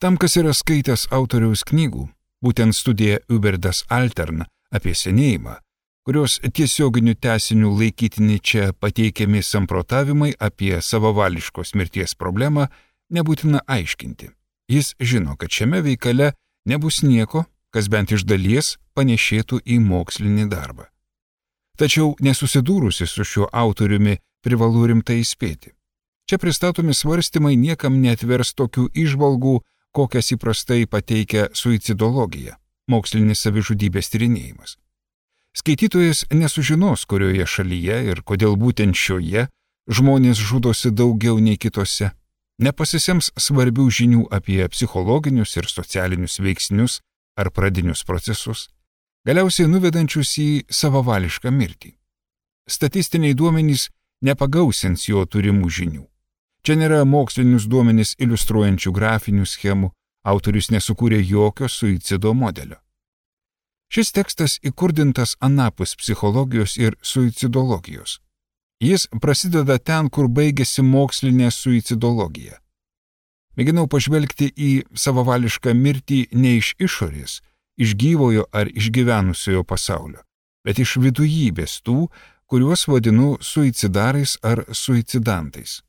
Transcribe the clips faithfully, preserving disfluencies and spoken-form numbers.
Tam, kas yra skaitęs autoriaus knygų, būtent studija Über das Altern apie senėjimą, kurios tiesioginių tęsinių laikytini čia pateikiami samprotavimai apie savavališkos mirties problemą, nebūtina aiškinti. Jis žino, kad šiame veikale nebus nieko, kas bent iš dalies panešėtų į mokslinį darbą. Tačiau nesusidūrusi su šiuo autoriumi privalu rimtai įspėti. Čia pristatomi svarstymai niekam neatvers tokių įžvalgų, kokias įprastai pateikia suicidologija, mokslinis savižudybės tyrinėjimas. Skaitytojas nesužinos, kurioje šalyje ir kodėl būtent šioje žmonės žudosi daugiau nei kitose, nepasisems svarbių žinių apie psichologinius ir socialinius veiksnius ar pradinius procesus, galiausiai nuvedančius į savavališką mirtį. Statistiniai duomenys nepagausins jo turimų žinių. Čia nėra mokslinius duomenys iliustruojančių grafinių schemų, autorius nesukūrė jokio suicido modelio. Šis tekstas įkurdintas anapus psichologijos ir suicidologijos. Jis prasideda ten, kur baigėsi mokslinė suicidologija. Mėginau pažvelgti į savavališką mirtį ne iš išorės, iš gyvojo ar išgyvenusiojo pasaulio, bet iš vidujybės tų, kuriuos vadinu suicidarais ar suicidantais.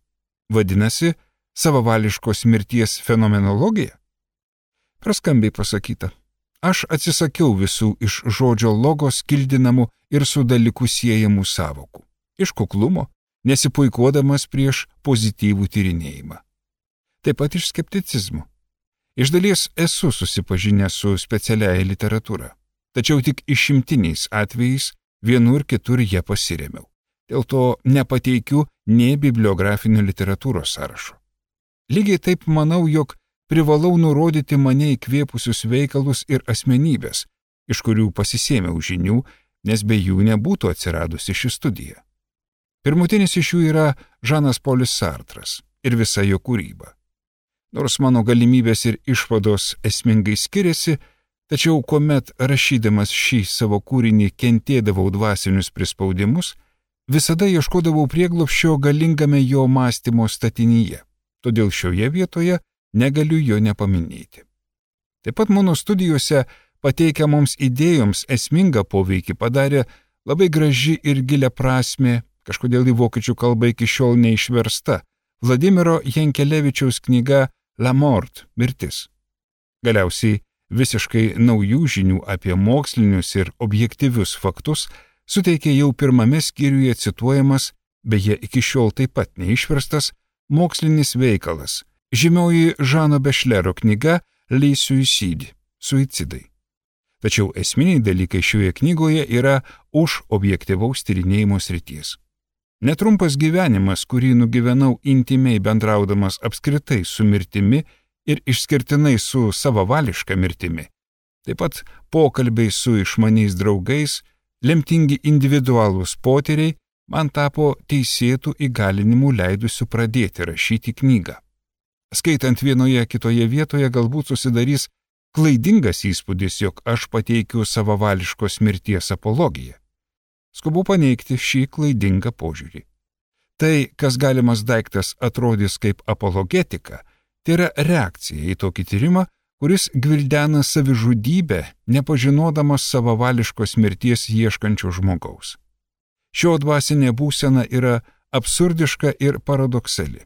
Vadinasi, savavališkos mirties fenomenologija? Praskambiai pasakyta. Aš atsisakiau visų iš žodžio logos kildinamų ir su dalyku siejamų sąvokų. Iš kuklumo, nesipuikuodamas prieš pozityvų tyrinėjimą. Taip pat iš skepticizmo. Iš dalies esu susipažinęs su specialiaja literatūra, tačiau tik išimtiniais atvejais vienur kitur ją pasiremiau. Dėl to nepateikiu nei bibliografinio literatūros sąrašo. Lygiai taip manau, jog privalau nurodyti mane įkvėpusius veikalus ir asmenybės, iš kurių pasisėmiau žinių, nes be jų nebūtų atsiradusi ši studija. Pirmutinis iš jų yra Žanas Polis Sartras ir visa jo kūryba. Nors mano galimybės ir išvados esmingai skiriasi, tačiau kuomet rašydamas šį savo kūrinį kentėdavau dvasinius prispaudimus, visada ieškodavau prieglobsčio galingame jo mąstymo statinyje, todėl šioje vietoje negaliu jo nepaminėti. Taip pat mano studijose pateikiamoms idėjoms esmingą poveikį padarė labai graži ir gilia prasmė, kažkodėl į vokiečių kalbą iki šiol neišversta, Vladimiro Jankelevičiaus knyga La Mort – Mirtis. Galiausiai visiškai naujų žinių apie mokslinius ir objektyvius faktus suteikė jau pirmame skyriuje cituojamas, beje iki šiol taip pat neišverstas, mokslinis veikalas, žymioji Žano Bešlero knyga Les Suicides – Suicidai. Tačiau esminiai dalykai šioje knygoje yra už objektyvaus tyrinėjimo srities. Netrumpas gyvenimas, kurį nugyvenau intimiai bendraudamas apskritai su mirtimi ir išskirtinai su savavališka mirtimi, taip pat pokalbiai su išmaniais draugais, lemtingi individualūs potyriai man tapo teisėtų įgalinimų leidusių pradėti rašyti knygą. Skaitant vienoje kitoje vietoje galbūt susidarys klaidingas įspūdis, jog aš pateikiu savavališkos mirties apologiją. Skubu paneigti šį klaidingą požiūrį. Tai, kas galimas daiktas atrodys kaip apologetika, tai yra reakcija į tokį tyrimą, kuris gvildena savižudybę, nepažinodamas savavališkos mirties ieškančio žmogaus. Šio dvasinė būsena yra absurdiška ir paradoksali.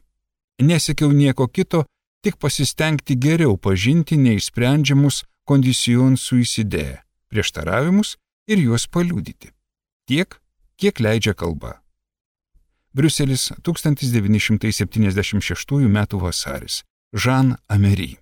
Nesiekiau nieko kito, tik pasistengti geriau pažinti neišsprendžiamus condition suicide, prieštaravimus ir juos paliudyti. Tiek, kiek leidžia kalba. Briuselis, tūkstantis devyni šimtai septyniasdešimt šeštųjų metų vasaris. Jean Amery.